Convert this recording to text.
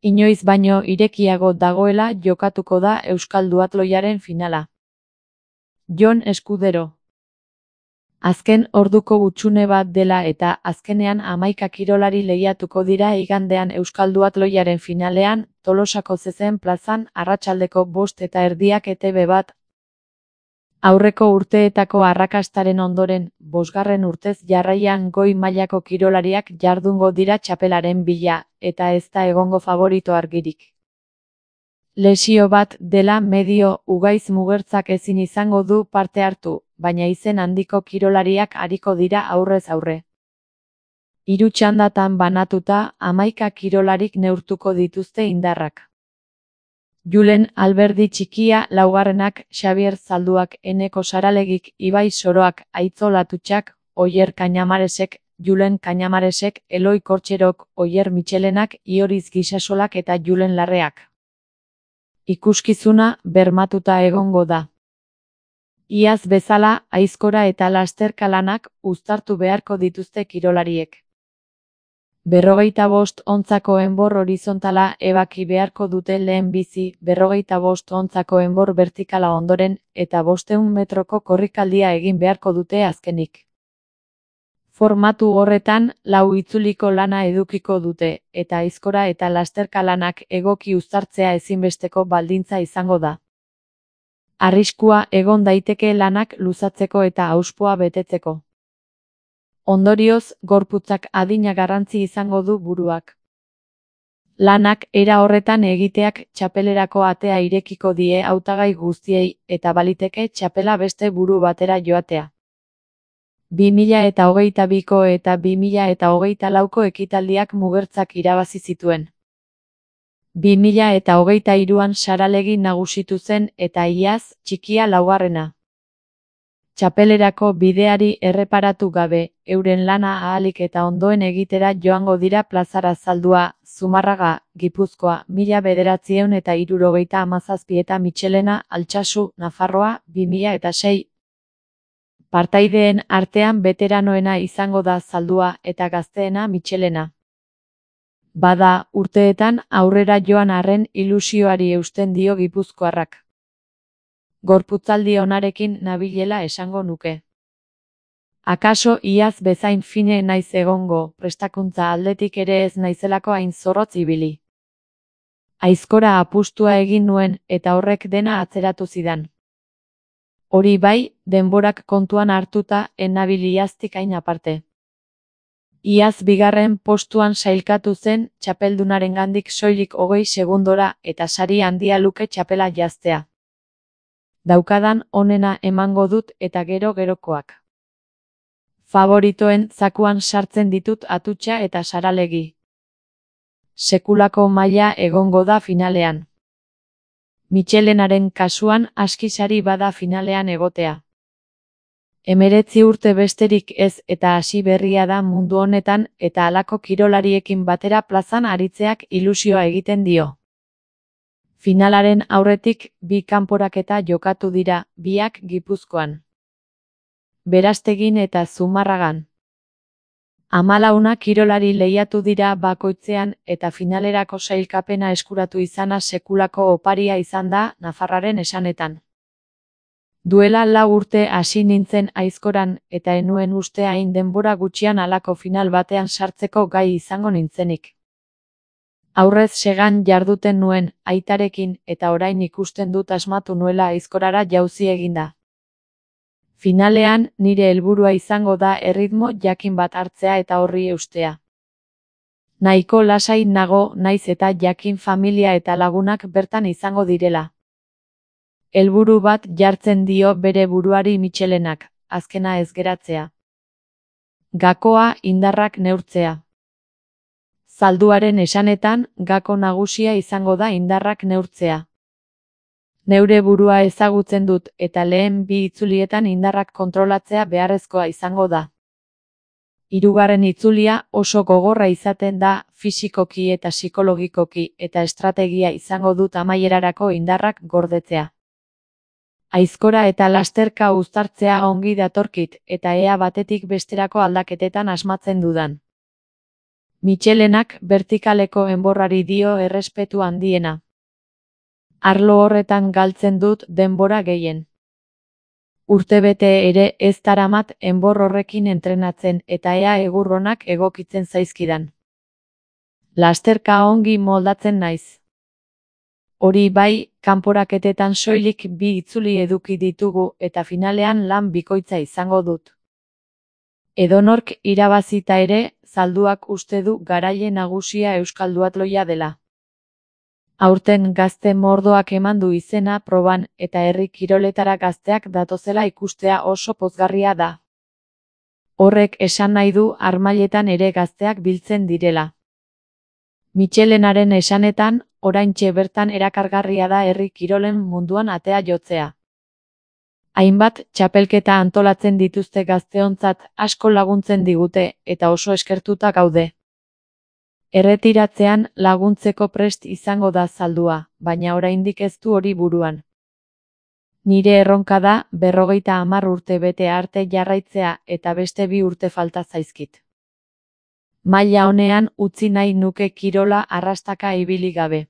Inoiz baino irekiago dagoela jokatuko da euskal duatloiaren finala. Jon Eskudero. Azken orduko hutsune bat dela eta azkenean 11 kirolari lehiatuko dira igandean euskal duatloiaren finalean, Tolosako Zezen plazan arratsaldeko 5:30 ETB bat. Aurreko urteetako arrakastaren ondoren, 5. urtez jarraian goi mailako kirolariak jardungo dira txapelaren bila, eta ez da egongo faborito argirik. Lesio bat dela medio Ugaiz Mugertzak ezin izango du parte hartu, baina izen handiko kirolariak ariko dira aurrez aurre. 3 txandatan banatuta, 11 kirolarik neurtuko dituzte indarrak. Julen Alberdi txikia laugarrenak, Xabier Zalduak, Eneko Saralegik, Ibai Soroak, Aitzo Latutxak, Oier Kañamaresek, Julen Kañamaresek, Eloi Kortxerok, Oier Mitxelenak, Ioriz Gisasolak eta Julen Larreak. Ikuskizuna bermatuta egongo da. Iaz bezala, aizkora eta lasterka lanak uztartu beharko dituzte kirolariek. 45 ontzako enbor horizontala ebaki beharko dute lehen bizi, 45 ontzako enbor vertikala ondoren, eta 500 metroko korrikaldia egin beharko dute azkenik. Formatu horretan, 4 itzuliko lana edukiko dute, eta aizkora eta lasterka lanak egoki uztartzea ezinbesteko baldintza izango da. Arriskua egon daiteke lanak luzatzeko eta auspoa betetzeko. Ondorioz, gorputzak adina garrantzi izango du buruak. Lanak era horretan egiteak txapelerako atea irekiko die hautagai guztiei, eta baliteke txapela beste buru batera joatea. 2022ko eta 2024ko ekitaldiak Mugertzak irabazi zituen. 2023an Saralegi nagusitu zen eta iaz, txikia laugarrena. Txapelerako bideari erreparatu gabe, euren lana ahalik eta ondoen egitera joango dira plazara Zaldua, Zumarraga, Gipuzkoa, 1977 eta Mitxelena, Altsasu, Nafarroa, 2006. Partaideen artean beteranoena izango da Zaldua eta gazteena Mitxelena. Bada, urteetan aurrera joan arren ilusioari eusten dio gipuzkoarrak. Gorputzaldi onarekin nabilela esango nuke. Akaso iaz bezain fine naiz egongo, prestakuntza aldetik ere ez naizelako hain zorrotz ibili. Aizkora apustua egin nuen eta horrek dena atzeratu zidan. Hori bai, denborak kontuan hartuta ennabil iaztik hain aparte. Iaz 2. postuan sailkatu zen txapeldunarengandik soilik 20 segundora eta sari handia luke txapela jaztea. Daukadan onena emango dut eta gero-gerokoak. Favoritoen zakuan sartzen ditut Atutxa eta Saralegi. Sekulako maila egongo da finalean. Mitxelenaren kasuan aski sari bada finalean egotea. 19 urte besterik ez eta hasi berria da mundu honetan eta halako kirolariekin batera plazan aritzeak ilusioa egiten dio. Finalaren aurretik 2 kanporaketa jokatu dira, biak Gipuzkoan. Berastegin eta Zumarragan. 14 kirolari lehiatu dira bakoitzean eta finalerako sailkapena eskuratu izana sekulako oparia izan da Nafarraren esanetan. Duela 4 urte hasi nintzen aizkoran eta enuen uste hain denbora gutxian halako final batean sartzeko gai izango nintzenik. Aurrez segan jarduten nuen, aitarekin, eta orain ikusten dut asmatu nuela aizkorara jauzi eginda. Finalean, nire helburua izango da erritmo jakin bat hartzea eta horri eustea. Nahiko lasai nago naiz eta jakin familia eta lagunak bertan izango direla. Helburu bat jartzen dio bere buruari Mitxelenak, azkena ez geratzea. Gakoa indarrak neurtzea. Zalduaren esanetan, gako nagusia izango da indarrak neurtzea. Neure burua ezagutzen dut eta lehen 2 itzulietan indarrak kontrolatzea beharrezkoa izango da. 3. itzulia oso gogorra izaten da fisikoki eta psikologikoki eta estrategia izango dut amaierarako indarrak gordetzea. Aizkora eta lasterka uztartzea ongi datorkit eta ea batetik besterako aldaketetan asmatzen dudan. Michelenak bertikaleko enborrari dio errespetu handiena. Arlo horretan galtzen dut denbora gehien. Urtebete ere ez daramat enbor horrekin entrenatzen eta ea egurronak egokitzen zaizkidan. Lasterka ongi moldatzen naiz. Hori bai, kanporaketetan soilik 2 itzuli eduki ditugu eta finalean lan bikoitza izango dut. Edonork irabazita ere, zalduak uste du garaile nagusia euskal duatloia dela. Aurten gazte mordoak eman du izena proban eta herri kiroletara gazteak datozela ikustea oso pozgarria da. Horrek esan nahi du harmailetan ere gazteak biltzen direla. Michelenaren esanetan, oraintxe bertan erakargarria da herri kirolen munduan atea jotzea. Hainbat txapelketa antolatzen dituzte gazteontzat asko laguntzen digute eta oso eskertuta gaude. Erretiratzean laguntzeko prest izango da zaldua, baina oraindik ez du hori buruan. Nire erronka da 50 urte bete arte jarraitzea eta beste 2 urte falta zaizkit. Maila honean utzi nahi nuke kirola arrastaka ibili gabe.